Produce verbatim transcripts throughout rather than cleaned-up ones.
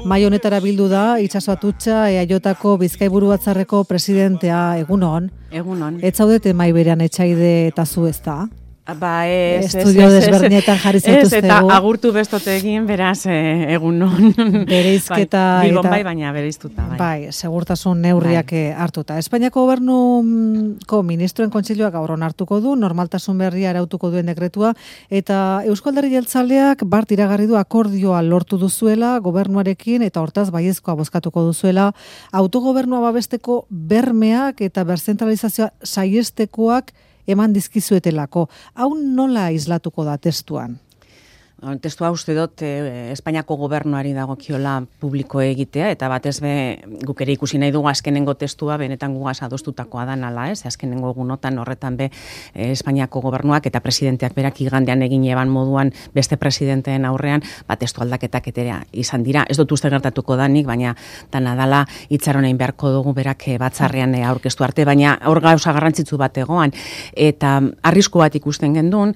Mai honetara bildu da Itxaso Atutxa E A Jko Bizkaiburu Batzarreko presidentea. Egunon. Egunon. Ez zaudete mai berean etxaide eta zu ez da? Ba, ez, Estudio desberdinetan jarri zaituztegu. Ez, eta agurtu bestote egin, beraz, e, egunon. Bereizketa bai, Bilbon eta... bai, baina bereiztuta. Bai, bai segurtasun neurriak bai. hartuta. Espainiako gobernuko ministroen kontseiluak gaur onartuko du, normaltasun berria arautuko duen dekretua, eta Eusko Alderdi Jeltzaleak bart iragarri du akordioa lortu duzuela gobernuarekin, eta hortaz baiezkoa bozkatuko duzuela, autogobernua babesteko bermeak eta berzentralizazioa saiestekoak eman dizkizuetelako. Hau nola islatuko da testuan? Testua uste dut eh, Espainiako gobernuari dagokiola publiko egitea, eta batez be guk ere ikusi nahi dugu azkenengo testua benetan gugaz adostutakoa da nala, ez? Azkenengo egunotan horretan be eh, Espainiako gobernuak eta presidenteak berak igandean egin eban moduan beste presidenteen aurrean, ba testu aldaketak etera izan dira. Ez dut uste gertatuko danik, baina dana dala itxaronein beharko dugu berak batzarrean eh, aurkeztu arte, baina hor gauza garrantzitsu bat egoan, eta arrisku bat ikusten gendun.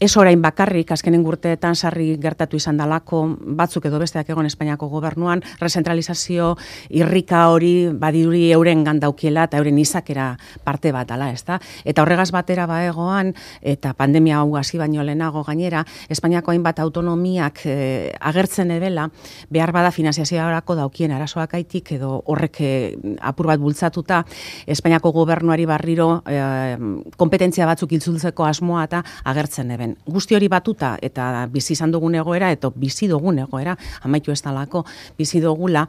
Ez orain bakarrik, azkenen urteetan sarri gertatu izan dalako, batzuk edo besteak egon Espainiako gobernuan, rezentralizazio irrika hori badiduri euren gandaukiela eta euren izakera parte bat dala, ezta? Eta horregaz batera baegoan, eta pandemia hau hasi baino lehenago gainera, Espainiako hainbat autonomiak eh, agertzen ebela, behar bada finanziazioarako daukien arazoak aitik, edo horrek eh, apur bat bultzatuta, Espainiako gobernuari barriro eh, kompetentzia batzuk itzultzeko asmoa eta agertzen eben. Guzti hori batuta eta bizi izan dugun egoera eta bizi dugun egoera, amaitu ez dalako bizi dugula,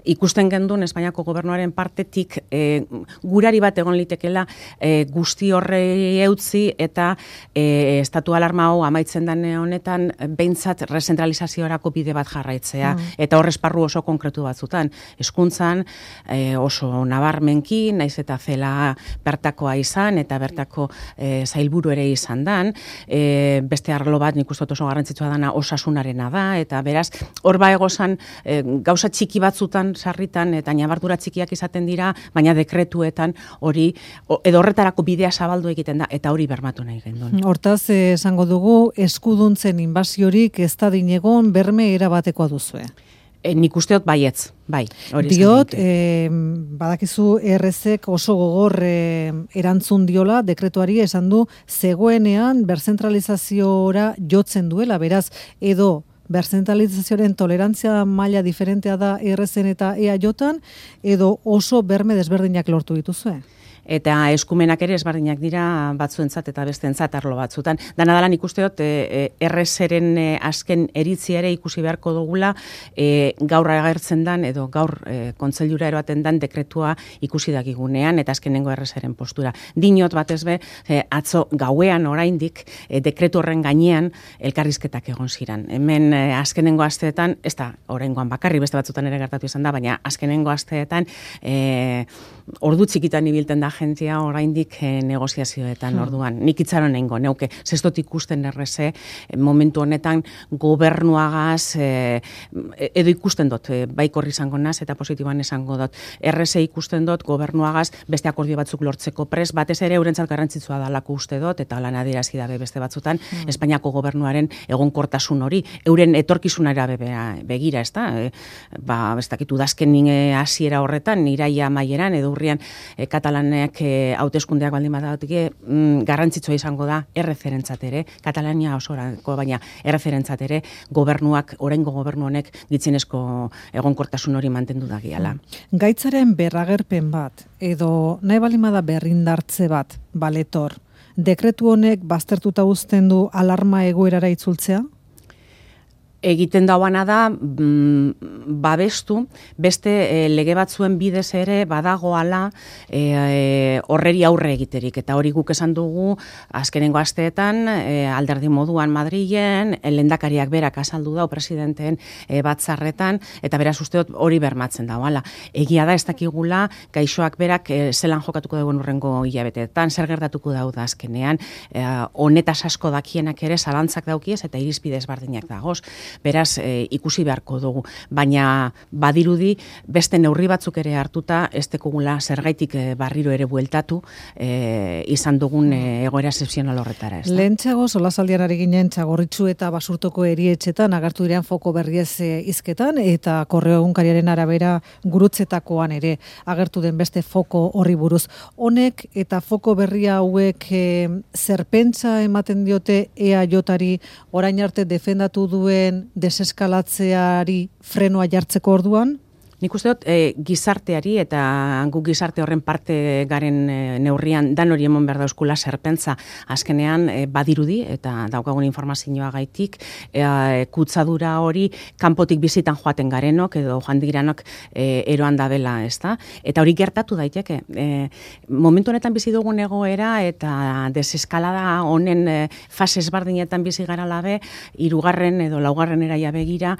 ikusten gendun Espainiako gobernuaren partetik e, gurari bat egon litekela e, guzti horrei eutzi eta e, estatu alarma hau amaitzen dane honetan behintzat rezentralizaziorako bide bat jarraitzea, mm. eta hor esparru oso konkretu batzutan. Hezkuntzan e, oso nabarmenki, naiz eta zela bertakoa izan eta bertako e, zailburu ere izan dan, e, beste arlo bat nik uste oso garrantzitsua dana osasunarena da, eta beraz, hor ba egozan e, gauza txiki batzutan sarritan, eta nabardura txikiak izaten dira, baina dekretuetan hori, edo horretarako bidea zabaldu egiten da, eta hori bermatu nahi gendun. Hortaz, esango dugu, eskuduntzen inbasiorik ez da dinegon berme erabatekoa duzue. E, nik usteot baietz, bai. Diot, e, badakizu errezek oso gogor e, erantzun diola, dekretuari esan du, zegoenean berzentralizaziora jotzen duela, beraz, edo berzentralizazioaren tolerantzia maila diferentea da errezen eta E A Jotan, edo oso berme desberdinak lortu dituzue? Eta eskumenak ere ezberdinak dira batzuentzat eta besteentzat arlo batzutan. Dana dela nik usteot e, errezeren e, azken eritzia ere ikusi beharko dugula, e, gaur agertzen dan edo gaur e, kontseilura eroaten dan dekretua ikusi dakigunean eta azkenengo errezeren postura. Dinot batez be, e, atzo gauean oraindik e, dekretu horren gainean elkarrizketak egon ziran. Hemen e, azkenengo asteetan, ez da oraingoan bakarri beste batzutan ere gertatu izan da, baina azkenengo asteetan e, ordu txikitan ibilten da agentzia oraindik e, negoziazioetan, hmm. orduan. Nik itxaron nengo, neuke, zestot ikusten erreze, e, momentu honetan gobernuagaz, e, edo ikusten dut, e, baikorri izango naz, eta positiboan esango dut, erreze ikusten dut gobernuagaz beste akordio batzuk lortzeko pres, batez ere eurentzat garrantzitsua dalako uste dut, eta lan adierazi dabe beste batzutan, hmm. Espainiako gobernuaren egonkortasun hori, euren etorkizunara begira, ez da? E, ba, ez dakit, udazken hasiera horretan, iraia maieran, edo urrian e, Katalanek hauteskundeak baldin badatik mm, garrantzitsua izango da erreferentzat ere, Katalania osorako, baina erreferentzat ere gobernuak, oraingo gobernu honek gitzinezko egonkortasun hori mantendu da giala. Gaitzaren berragerpen bat, edo nahi balimada berrindartze bat, baletor, dekretu honek baztertuta uzten du alarma egoerara itzultzea? Egiten dauana da mm, babestu, beste e, lege batzuen bidez ere badagoala e, e, horreri aurre egiterik. Eta hori guk esan dugu azkenengo asteetan e, alderdi moduan Madrilen, lehendakariak berak azaldu dau presidenteen e, batzarretan, eta beraz usteot hori bermatzen dauala. Egia da ez dakigula gaixoak berak e, zelan jokatuko dagoen urrengo hilabeteetan, zer gertatuko dau da azkenean, e, honetaz asko dakienak ere zalantzak daukiez eta irizpide ezberdinak dagoz. Beraz, e, ikusi beharko dugu, baina badirudi beste neurri batzuk ere hartuta ez dekugula zergaitik e, barriro ere bueltatu e, izan dugun e, egoera excepzional horretara. Ez da? Lehentxago, solasaldian ari ginen Txagorritxu eta Basurtoko erietxetan agertu diren foko berriez e, hizketan eta Korreo egunkariaren arabera gurutzetakoan ere agertu den beste foko horri buruz. Honek eta foko berria hauek e, zerpentsa ematen diote E A Jari orain arte defendatu duen deseskalatzeari frenoa jartzeko orduan? Nik uste dut, e, gizarteari eta gu gizarte horren parte garen e, neurrian dan hori emon behar dauzkula zerpentza azkenean e, badirudi eta daukagun informazioa gaitik e, kutzadura hori kanpotik bizitan joaten garenok edo joan diranok e, eroan dabela, ez da? Eta hori gertatu daiteke. E, momentu honetan bizi dugun egoera eta deseskalada honen e, fase ezberdinetan bizi gara labe, hirugarren edo laugarren eraia begira,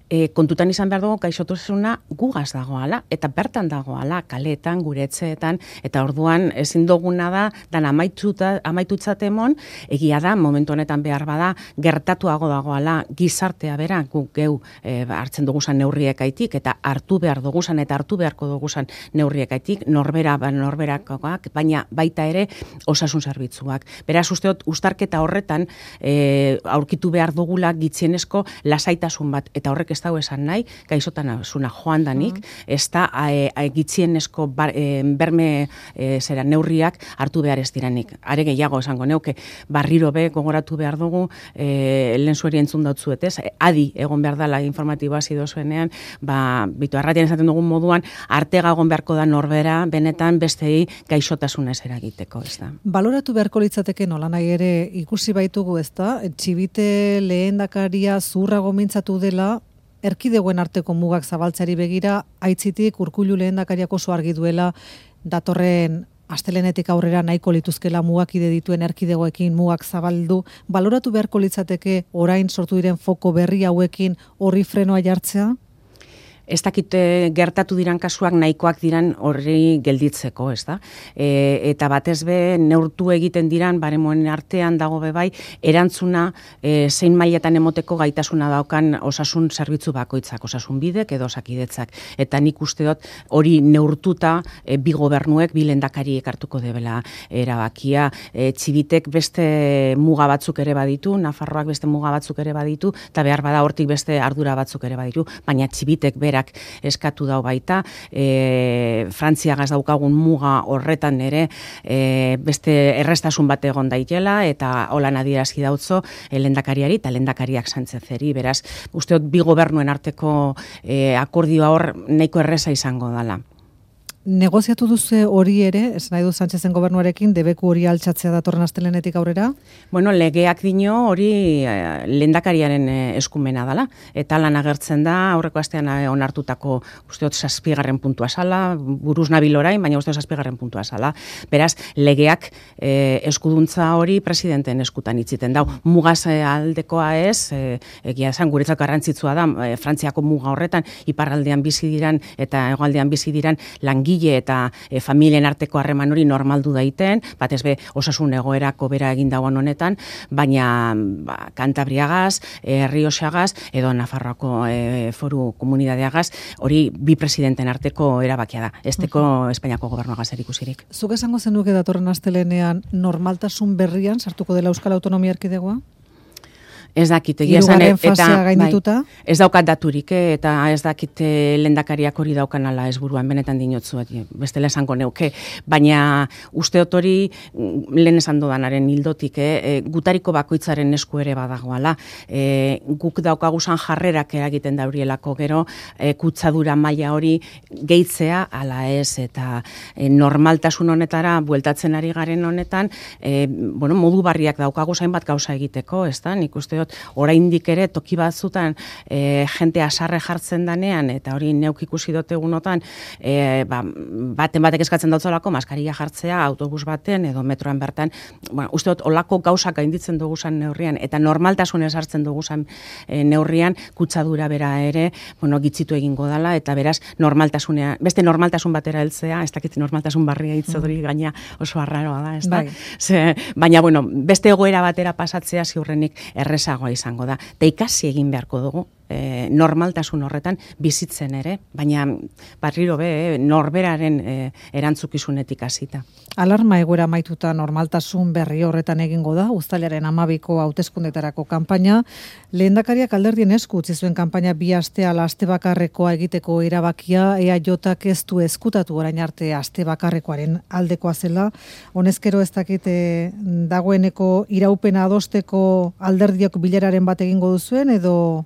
e, kontutan izan behar dugu gaixotasuna gugaz dagoala, eta bertan dagoala, kaletan, gure etxeetan, eta orduan ezin duguna da, dan amaitutzat emon, egia da, momentu honetan behar bada, gertatuago dagoala gizartea bera, guk geu e, hartzen duguzan neurriekaitik, eta hartu behar duguzan, eta hartu beharko duguzan neurriekaitik, norbera, norberakoak, baina baita ere osasun zerbitzuak. Beraz, usteot, ustarketa horretan e, aurkitu behar dugula gitzienezko lasaitasun bat, eta horrek ez dago esan nahi, gaixotasuna joan danik, mm. ez da e, e, gitzienezko bar, e, berme e, zera neurriak hartu behar ez diranik. Are gehiago esango neuke, barriro be gogoratu behar dugu, e, lehen zueri entzun dautzuet, ez? Adi egon behar dela informatiboa zido zuenean, ba, bitu, arratian esaten dugun moduan, artega egon beharko da norbera, benetan bestei gaixotasunez eragiteko, ez da. Baloratu beharko litzateke nola nahi ere ikusi baitugu, ez da? Txibite lehendakaria zurrago mintzatu dela, erkidegoen arteko mugak zabaltzari begira, aitzitik Urkullu lehendakariak oso argi duela datorren astelenetik aurrera nahiko lituzkela mugakide dituen erkidegoekin mugak zabaldu. Baloratu beharko litzateke orain sortu diren foko berri hauekin horri frenoa jartzea? Ez dakite gertatu diran kasuak nahikoak diran horri gelditzeko, ez da? E, eta batez be neurtu egiten diran, baremoen artean dago bebai, erantzuna e, zein mailetan emoteko gaitasuna daukan osasun zerbitzu bakoitzak, osasun bidek edo osakidetzak. Eta nik uste dut hori neurtuta e, bi gobernuek, bi lehendakariek hartuko debela erabakia. E, txibitek beste muga batzuk ere baditu, Nafarroak beste muga batzuk ere baditu, eta behar bada hortik beste ardura batzuk ere baditu, baina txibitek berak eskatu dau baita, e, Frantziagaz daukagun muga horretan ere e, beste errestasun bat egon daitela, eta holan adierazi dautzo e, lehendakariari eta lehendakariak Sánchezeri, beraz, usteot bi gobernuen arteko e, akordioa hor nahiko erreza izango dala. Negoziatu duzu hori ere, ez nahi du Sánchezen gobernuarekin, debeku hori altxatzea datorren astelenetik aurrera? Bueno, legeak dino hori eh, lehendakariaren eh, eskumena dala, eta lan agertzen da, aurreko astean eh, onartutako usteot zazpigarren puntua sala, buruz nabil orain, baina usteot zazpigarren puntua sala. Beraz, legeak eh, eskuduntza hori presidenten eskutan itziten dau. Mugaz eh, aldekoa ez, eh, egia esan guretzat garrantzitsua da, eh, Frantziako muga horretan, iparraldean bizi diran eta hegoaldean bizi diran langi eta e, familien arteko harreman hori normaldu daiten, batez be osasun egoerako bera egin dauan honetan, baina ba, Kantabriagaz, e, Errioxagaz, edo Nafarroako e, foru komunidadeagaz, hori bi presidenten arteko erabakia da, esteko uh-huh. Espainiako gobernuagaz erikusirik. Zuk esango zenuke datorren astelenean normaltasun berrian sartuko dela Euskal Autonomia Erkidegoa? Ez dakit, egia esan, eta bai, ez daukat daturik, eh, eta ez dakit lehendakariak hori daukan ala ez buruan, benetan dinotzu, bestela esango neuke, baina usteot hori lehen esan dodanaren hildotik, eh, gutariko bakoitzaren esku ere badagoala, eh, guk daukaguzan jarrerak egiten daurielako gero, eh, kutzadura maila hori gehitzea, ala ez, eta eh, normaltasun honetara bueltatzen ari garen honetan, eh, bueno, modu barriak daukaguzain bat gauza egiteko, ez da, nik uste oraindik ere toki batzutan e, jente asarre jartzen danean, eta hori neuk ikusi dut egunotan, e, ba, baten batek eskatzen dautzolako maskaria jartzea autobus baten edo metroan bertan, bueno, uste dut olako gauzak gainditzen duguzan neurrian, eta normaltasunez hartzen duguzan e, neurrian, kutsadura bera ere, bueno, gitzitu egingo dala, eta beraz, normaltasunea, beste normaltasun batera heltzea, ez dakit normaltasun barria hitzodori gaina oso arraroa da, ez da? Bai. Ze, baina, bueno, beste egoera batera pasatzea ziurrenik erresa errezagoa izango da. Eta ikasi egin beharko dugu, e, normaltasun horretan bizitzen ere, baina barriro be, norberaren e, erantzukizunetik hasita. Alarma egoera maituta normaltasun berri horretan egingo da, uztailaren amabiko hauteskundetarako kanpaina. Lehendakariak alderdien esku utzi zuen kanpaina bi aste ala aste bakarrekoa egiteko erabakia, E A Jak ez du eskutatu orain arte aste bakarrekoaren aldekoa zela. Honezkero ez dakit dagoeneko iraupena adosteko alderdiak bileraren bat egingo duzuen, edo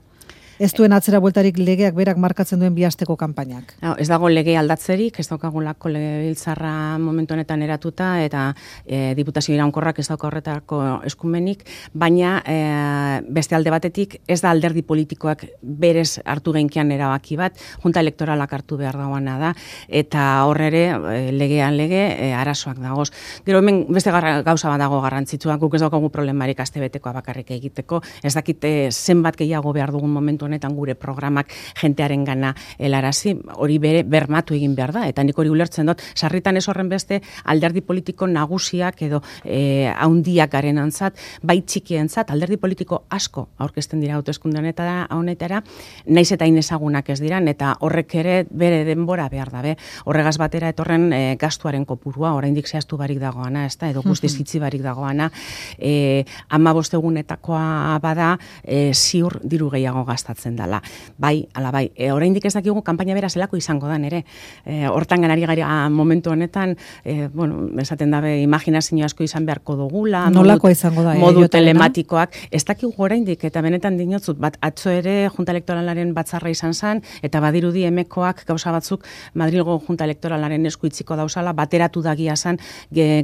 ez duen atzera bueltarik legeak berak markatzen duen bihasteko kanpainak? No, ez dago lege aldatzerik, ez daukagulako legebiltzarra momentu honetan eratuta, eta e, diputazio iraunkorrak ez dauka horretako eskumenik, baina e, beste alde batetik ez da alderdi politikoak berez hartu genkian erabaki bat, junta elektoralak hartu behar dagoena da, eta horre e, legean lege e, arazoak dagoz. Gero hemen beste garra, gauza bat dago garrantzitsua, guk ez daukagu problemarik astebetekoa bakarrik egiteko, ez dakit e, zenbat gehiago behar dugun momentu honetan gure programak jentearen gana helarazi, hori bere bermatu egin behar da, eta nik hori ulertzen dut, sarritan ez horren beste alderdi politiko nagusiak edo e, haundiak garen antzat, bai txikientzat, alderdi politiko asko aurkezten dira hauteskunde honetara, honetara, naiz eta inezagunak ez diran, eta horrek ere bere denbora behar dabe, horregaz batera etorren e, gastuaren kopurua, oraindik zehaztu barik dagoana, ez da, edo guztiz itzi barik dagoana, e, ama bostegunetakoa bada, e, ziur diru gehiago gastatzen dela. Bai, ala bai, e, oraindik ez dakigu kanpaina bera zelako izango dan ere. E, hortan ganari gara momentu honetan, e, bueno, esaten dabe imaginazio asko izan beharko dugula, nolako izango da, modu e, telematikoak, ez dakigu oraindik, eta benetan dinotzut, bat atzo ere junta elektoralaren batzarra izan zen, eta badirudi emekoak gauza batzuk Madrilgo junta elektoralaren esku itziko dauzala, bateratu dagia zen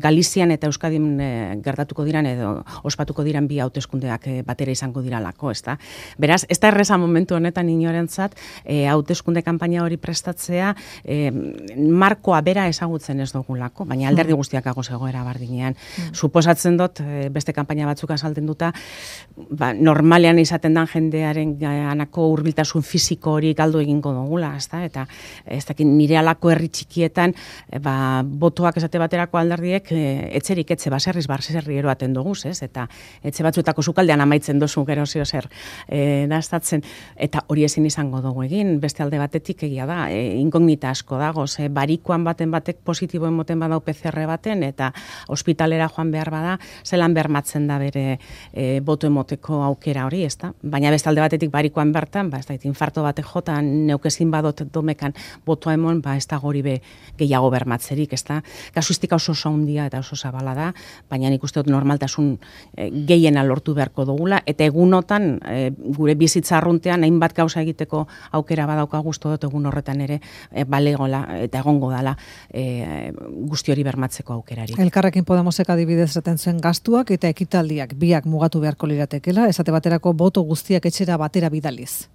Galizian eta Euskadin e, gertatuko diran edo ospatuko diran bi hauteskundeak e, batera izango diralako, ezta? Beraz, ez da erreza momentu honetan inorentzat, e, hauteskunde kanpaina hori prestatzea, e, markoa bera ezagutzen ez dugulako, baina alderdi guztiak agoz egoera bardinean. Mm. Suposatzen dut, e, beste kanpaina batzuk azalten duta, ba, normalean izaten dan jendearen ganako hurbiltasun fisiko hori galdu egingo dugula, ezta? Eta ez dakit nire alako herri txikietan, e, ba, botoak esate baterako alderdiek, e, etxerik etxe baserriz baserri eroaten duguz, ez? Eta etxe batzuetako sukaldean amaitzen dozu gero zio zer e, daztatzen. Eta hori ezin izango dugu egin, beste alde batetik egia da, e, inkognita asko dago, ze barikoan baten batek positibo emoten badau P C R baten, eta ospitalera joan behar bada, zelan bermatzen da bere e, boto emoteko aukera hori, ezta? Baina beste alde batetik barikoan bertan, ba, ez da, infarto batek jota, neukezin badot domekan botoa emon, ba, ez da gori be gehiago bermatzerik, ezta? Kasuistika oso oso handia eta oso zabala da, baina nik uste dut normaltasun e, gehiena lortu beharko dugula, eta egunotan e, gure bizitza arruntean hainbat gauza egiteko aukera badauka gustu dut egun horretan ere e, balegola eta egongo dala e, guzti hori bermatzeko aukerari. Elkarrekin Podemosek adibidez esaten zuen gastuak eta ekitaldiak biak mugatu beharko liratekela, esate baterako boto guztiak etxera batera bidaliz.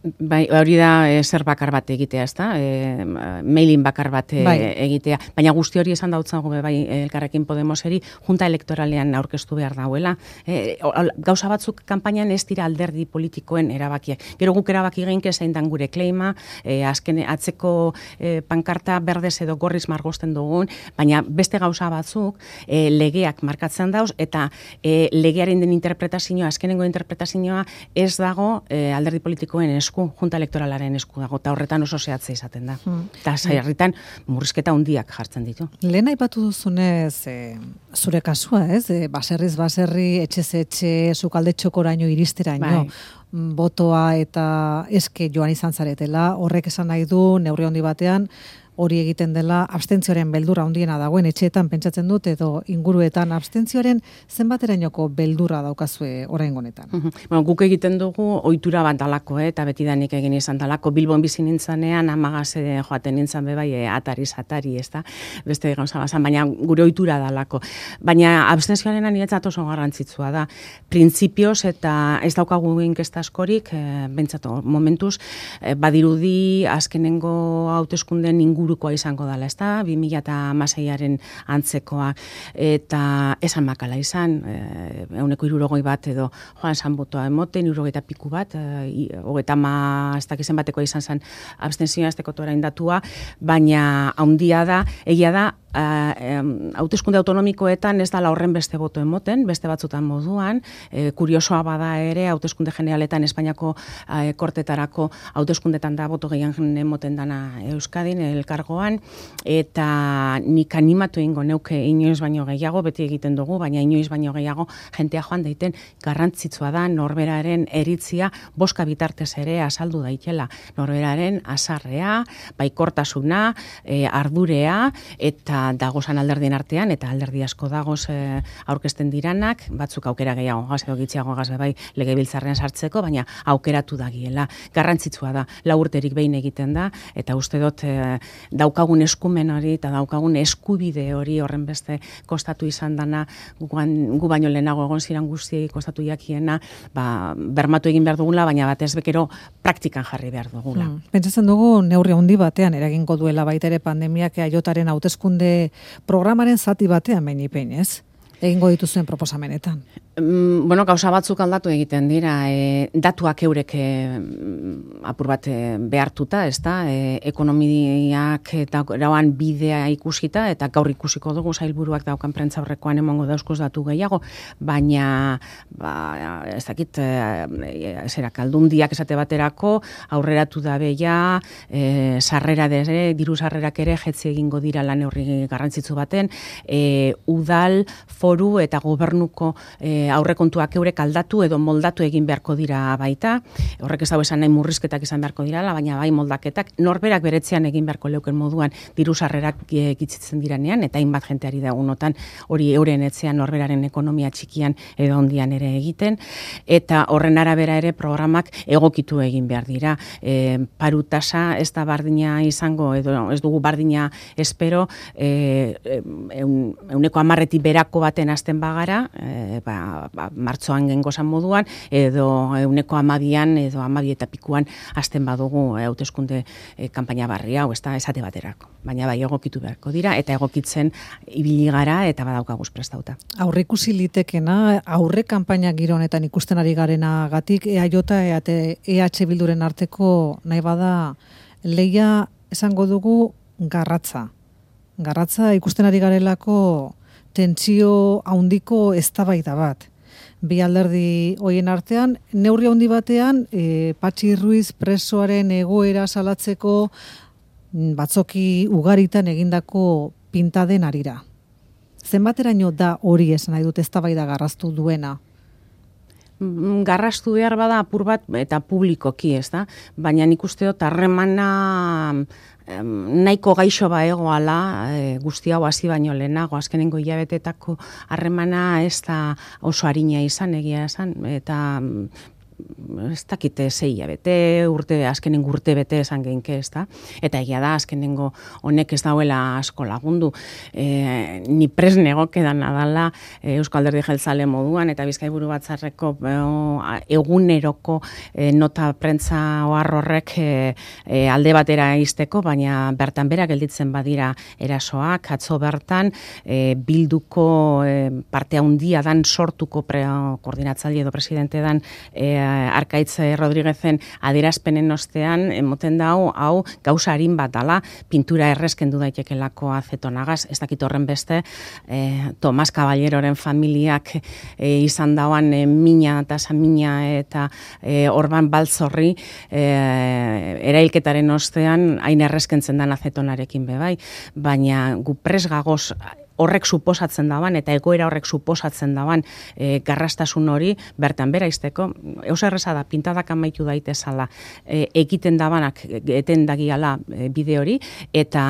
Bai, hori da e, zer bakar bat egitea, ezta? E, mailin bakar bat e, bai. egitea. Baina guzti hori esan dautzago bai Elkarrekin Podemoseri junta elektoralean aurkeztu behar dauela. E, gauza batzuk kanpainan ez dira alderdi politikoen erabakiak. Gero guk erabaki geinke zein dan gure kleima, e, azken atzeko e, pankarta berdez edo gorriz margosten dugun, baina beste gauza batzuk e, legeak markatzen dauz, eta e, legearen den interpretazioa, azkenengo interpretazioa ez dago e, alderdi politikoen esku, junta elektoralaren esku dago, eta horretan oso zehatza izaten da. Eta hmm. sarritan murrizketa handiak jartzen ditu. Lehen aipatu duzunez, e, zure kasua, ez? E, baserriz baserri, etxez etxe, sukalde txokoraino iristeraino, bai. Botoa eta eske joan izan zaretela, horrek esan nahi du, neurri handi batean, hori egiten dela abstentzioaren beldurra handiena dagoen etxeetan pentsatzen dut, edo inguruetan abstentzioaren zenbaterainoko beldurra daukazue oraingo honetan. Uh-huh. Bueno, guk egiten dugu ohitura bat dalako, eh, eta betidanik egin izan dalako. Bilbon bizi nintzanean amagaz joaten nintzan bebai e, atariz atari, ezta? Beste gauza bazan, baina gure ohitura dalako. Baina abstentzioaren niretzat oso garrantzitsua da. Printzipioz eta ez daukagu inkesta askorik, e, bentsat momentuz, e, badirudi azkenengo hauteskundeen ingurukoa izango dela, ezta? bi mila hamaseiaren antzekoa, eta esan makala izan, ehuneko hirurogei bat edo joan san botoa emoten, hirurogeita piku bat, hogeita hamar ez dakizen batekoa izan zen abstentzioa azteko orain datua, baina handia da, egia da, hauteskunde autonomikoetan ez dala horren beste boto emoten, beste batzutan moduan, e, kuriosoa bada ere, hauteskunde generaletan Espainiako e, kortetarako hauteskundetan da boto gehiago emoten dana Euskadin, elkargoan, eta nik animatu ingo neuke inoiz baino gehiago, beti egiten dugu, baina inoiz baino gehiago jentea joan daiten garrantzitsua da norberaren eritzia boska bitartez ere azaldu daitela. Norberaren azarrea, baikortasuna, e, ardurea, eta dagozan alderdien artean, eta alderdi asko dagoz e, aurkezten diranak, batzuk aukera gehiago gaz, edo gitziago gaz bai legebiltzarrean sartzeko, baina aukeratu dagiela. Garrantzitsua da, lau urterik behin egiten da, eta uste dut e, daukagun eskumen hori, eta daukagun eskubide hori horren beste kostatu izan dana, guan, gu baino lehenago egon ziren guztiei kostatu jakiena, ba, bermatu egin behar dugula, baina batez bekero praktikan jarri behar dugula. Hmm. Pentsatzen dugu neurri handi batean eragingo duela baita ere pandemiak eaiotaren hauteskunde programaren zati batean behin ez? Egingo dituzuen proposamenetan. Mm, bueno, gauza batzuk aldatu egiten dira, e, datuak eurek e, apur bat e, behartuta, ez da, e, ekonomiak eta rauan bidea ikusita, eta gaur ikusiko dugu sailburuak daukan prentza horrekoan emongo dauzkoz datu gehiago, baina, ba, ez dakit, e, zerak, aldundiak esate baterako, aurreratu da beia, e, sarrera dere, diru sarrerak ere, jetzi egingo dira lan horri garrantzitsu baten, e, udal, foru eta gobernuko e, aurrekontuak eurek aldatu edo moldatu egin beharko dira baita. Horrek ez dago esan nahi murrizketak izan beharko dirala, baina bai moldaketak norberak beretzean egin beharko leuken moduan diru sarrerak gitzitzen diranean, eta hainbat jenteari da unotan hori euren etzean norberaren ekonomia txikian edo ondian ere egiten, eta horren arabera ere programak egokitu egin behar dira. E, paru tasa ez da bardina izango, edo ez dugu bardina espero, e, eun, euneko amarreti berako baten azten bagara, e, ba, ba, martzoan gengozan moduan, edo euneko amabian, edo amabi eta pikuan azten badugu hauteskunde e, kanpaina barri hau, ez da esate baterako. Baina bai egokitu beharko dira, eta egokitzen ibili gara, eta badaukaguz prestauta. Aurrikusi litekena, aurre kanpaina giro honetan ikusten ari garenagatik, E A J eta E H Bilduren arteko nahi bada lehia esango dugu garratza. Garratza ikusten ari garelako tentsio handiko eztabaida bat. Bi alderdi hoien artean, neurri handi batean, e, Patxi Ruiz presoaren egoera salatzeko batzoki ugaritan egindako pintaden arira. Zenbateraino da hori esan nahi dut eztabaida garraztu duena? Garrastu behar bada apur bat eta publikoki, ez da? Baina nik uste dut harremana nahiko gaixo ba egoala, e, guzti hau hasi baino lehenago, azkenengo hilabetetako harremana ez da oso arina izan, egia esan, eta ez dakite sei hilabete, urte, azkenengo urte bete esan geinke, ez da? Eta egia da, azkenengo honek ez dauela asko lagundu. E, ni presne egokedan adala e, Eusko Alderdi Jeltzale moduan, eta Bizkaiburu Batzarreko e, eguneroko e, nota prentza ohar horrek e, e, alde batera izteko, baina bertan bera gelditzen badira erasoak, atzo bertan e, bilduko e, parte handia dan sortuko pre, koordinatzaile edo presidente dan e, Arkaitz Rodriguezen adierazpenen ostean, emoten da hau, hau gauza harin bat dala, pintura errezkendu daitekelako azetonagaz, ez dakit horren beste, eh, Tomas Caballeroren familiak eh, izan dauan eh, mina eta samina eta eh, Orban Baltzorri eh, erailketaren ostean hain errezkentzen dan azetonarekin bebai, baina gu pres gagoz horrek suposatzen daban, eta egoera horrek suposatzen daban e, garrastasun hori, bertan bera izteko, eus erreza da, pintadak amaitu daitezala, e, egiten dabanak, eten dagiala e, bide hori, eta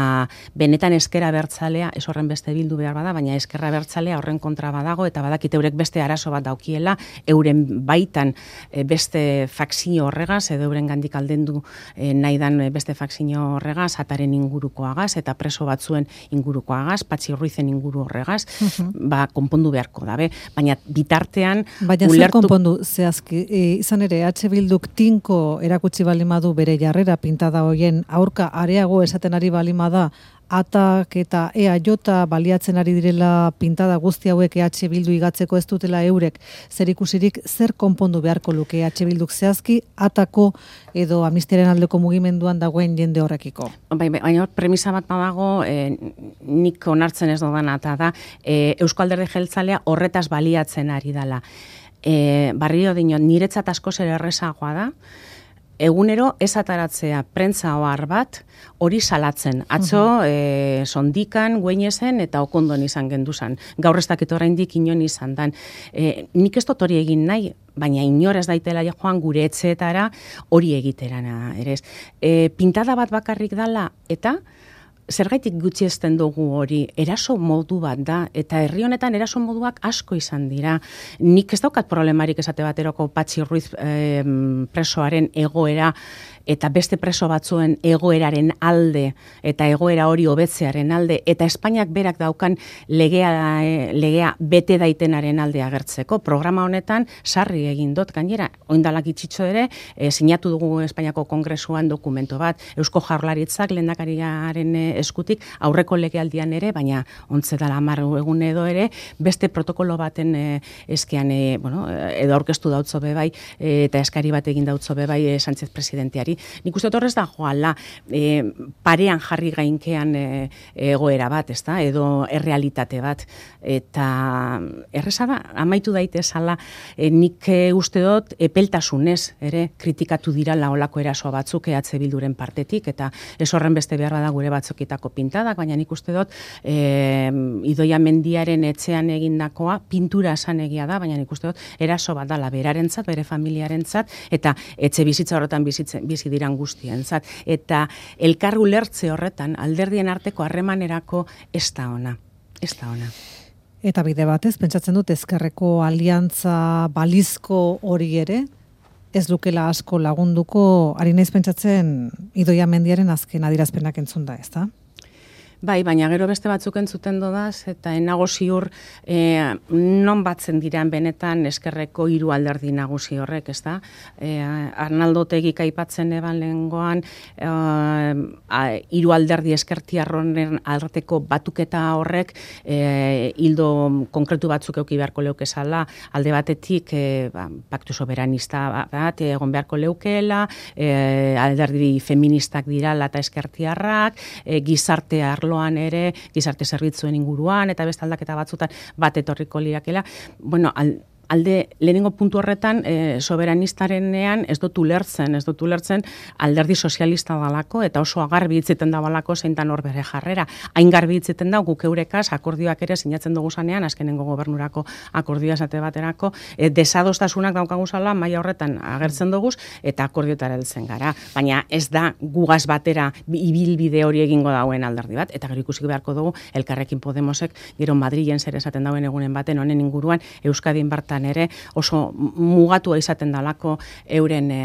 benetan eskera bertzalea, ez horren beste bildu behar bada, baina eskerra bertzalea horren kontra badago, eta badakit eurek beste arazo bat daukiela, euren baitan e, beste fakzio horregaz, edo euren gandik aldendu e, nahi dan beste fakzio horregaz, ataren ingurukoagaz, eta preso batzuen ingurukoagaz, Patxi Ruizen inguru horregaz, uh-huh. ba, konpondu beharko dabe, baina bitartean baina ulertu... zer konpondu, zehazki, e, izan ere, H. Bilduk tinko erakutsi balimadu bere jarrera pintada hoien aurka areago esaten ari balimada Atak eta E A J baliatzen ari direla pintada guzti hauek E H Bildu igatzeko ez dutela eurek zerikusirik, zer konpondu beharko luke E H Bilduk zehazki Atako edo amnistiaren aldeko mugimenduan dagoen jende horrekiko? Bai, bai, baina premisa bat badago, e, nik onartzen ez dodana, eta da, e, Eusko Alderdi Jeltzalea horretaz baliatzen ari dela. E, barrio dino, niretzat asko zer errezagoa da, egunero ez ataratzea prentza ohar bat hori salatzen. Atzo, e, sondikan, gueinezen eta okondon izan genduzan. Gaur ez dakit oraindik inon izan dan. E, nik ez dut hori egin nahi, baina inor ez daitela joan gure etxeetara hori egiterana ere ez. E, pintada bat bakarrik dala eta zergaitik gutxiesten dugu hori, eraso modu bat da, eta herri honetan eraso moduak asko izan dira. Nik ez daukat problemarik esate bateroko Patxi Ruiz eh, presoaren egoera, eta beste preso batzuen egoeraren alde, eta egoera hori hobetzearen alde, eta Espainiak berak daukan legea, legea bete daitenaren alde agertzeko. Programa honetan sarri egin dut, gainera, oindalak itxitxo ere, e, sinatu dugu Espainiako Kongresuan dokumento bat, Eusko Jaurlaritzak lehendakariaren eskutik, aurreko legealdian ere, baina ontze dala hamar egun edo ere, beste protokolo baten e, eskean, e, bueno, edo aurkeztu dautzo bebai, e, eta eskari bat egin dautzo bebai e, Sánchez presidenteari. Nik uste horrez da joala e, parean jarri gainkean e, egoera bat, ezta? Edo errealitate bat. Eta erreza da, amaitu daitezala, e, nik e, uste dut epeltasunez ere kritikatu dira laolako eraso batzuk E H Bilduren partetik, eta ez horren beste beharra da gure batzokitako pintadak, baina nik uste dut e, Idoia Mendiaren etxean egindakoa pintura esan egia da, baina nik uste dut eraso bat dala berarentzat, bere familiarentzat, eta etxe bizitza horretan bizitzen, bizi diran guztientzat. Eta elkar ulertze horretan, alderdien arteko harremanerako ez da ona. Ez da ona. Eta bide batez, pentsatzen dut ezkerreko aliantza balizko hori ere, ez lukela asko lagunduko, ari naiz pentsatzen Idoia Mendiaren azken adierazpenak entzun da, ez da? Bai, baina gero beste batzuk entzuten dodaz, eta enago ziur e, non batzen diran benetan eskerreko hiru alderdi nagusi horrek, ez da? E, Arnaldo Otegik aipatzen eban lehengoan, hiru alderdi eskertiarronen arteko batuketa horrek e, hildo konkretu batzuk euki beharko leukezala, alde batetik e, ba, paktu soberanista bat egon beharko leukeela, e, alderdi feministak dirala eta eskertiarrak, e, gizarte arloan ere, gizarte zerbitzuen inguruan, eta beste aldaketa batzutan bat etorriko lirakela. Bueno, al, alde lehenengo puntu horretan e, soberanistarenean ez dut ulertzen, ez dut ulertzen alderdi sozialista dalako, eta oso agarbi hitzeten da balako zeintan hor bere jarrera. Hain garbi hitzeten da, guk eurekaz akordioak ere sinatzen dugu zanean, azkenengo gobernurako akordioa esate baterako, e, desadostasunak daukaguzala maila horretan agertzen dugu, eta akordioetara heltzen gara. Baina ez da gugaz batera ibilbide hori egingo dauen alderdi bat, eta gero ikusiko beharko dugu Elkarrekin Podemosek gero Madrilen zer esaten dauen egunen baten honen inguruan Euskadin bartan ere oso mugatua izaten dalako euren e,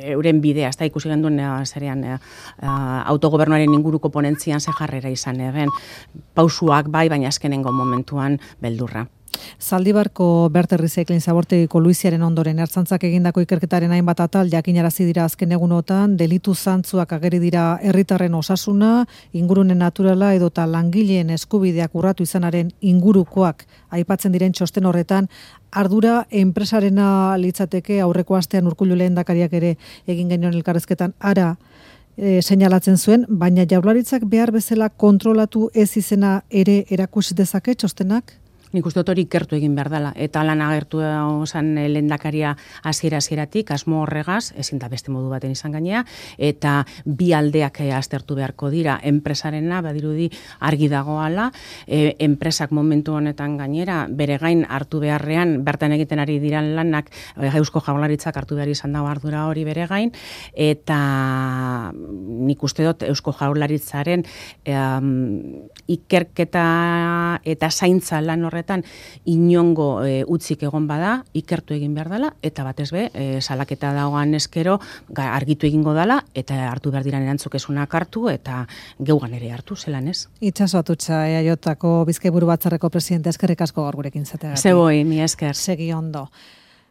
euren bidea, ez da ikusi genduen e, zerean e, autogobernuaren inguruko ponentzian ze jarrera izan eben, pausuak bai, baina azkenengo momentuan beldurra. Zaldibarko Berte Recycling zabortegiko Luiziaren ondoren ertzaintzak egindako ikerketaren hainbat atal jakinarazi dira azken egunotan, delitu zantzuak ageri dira herritarren osasuna, ingurune naturala edota langileen eskubideak urratu izanaren ingurukoak aipatzen diren txosten horretan, ardura enpresarena litzateke aurreko astean Urkullu lehendakariak ere egin genuen elkarrezketan ara e, seinalatzen zuen, baina Jaurlaritzak behar bezala kontrolatu ez izena ere erakusi dezake txostenak? Nik uste dut hori ikertu egin behar dela, eta lan agertu osan lehendakaria hasiera-hasieratik, asmo horregaz, ezin da beste modu baten izan gainea, eta bi aldeak aztertu beharko dira, enpresarena, badirudi argi dagoala, e, enpresak momentu honetan gainera, bere gain hartu beharrean, bertan egiten ari diran lanak, Eusko Jaurlaritzak hartu behar izan dago ardura hori bere gain, eta nik uste dut Eusko Jaurlaritzaren um, ikerketa eta zaintza lan horretan inongo e, utzik egon bada, ikertu egin behar dela, eta batez be, e, salaketa dagoan eskero argitu egingo dela, eta hartu behar diran erantzukesunak hartu, eta geugan ere hartu, zelan ez? Itxaso Atutxa, E A Jko Bizkaiburu Batzarreko presidente, eskerrik asko gaur gurekin zateagatik. Zeboi, mi esker. Segi ondo.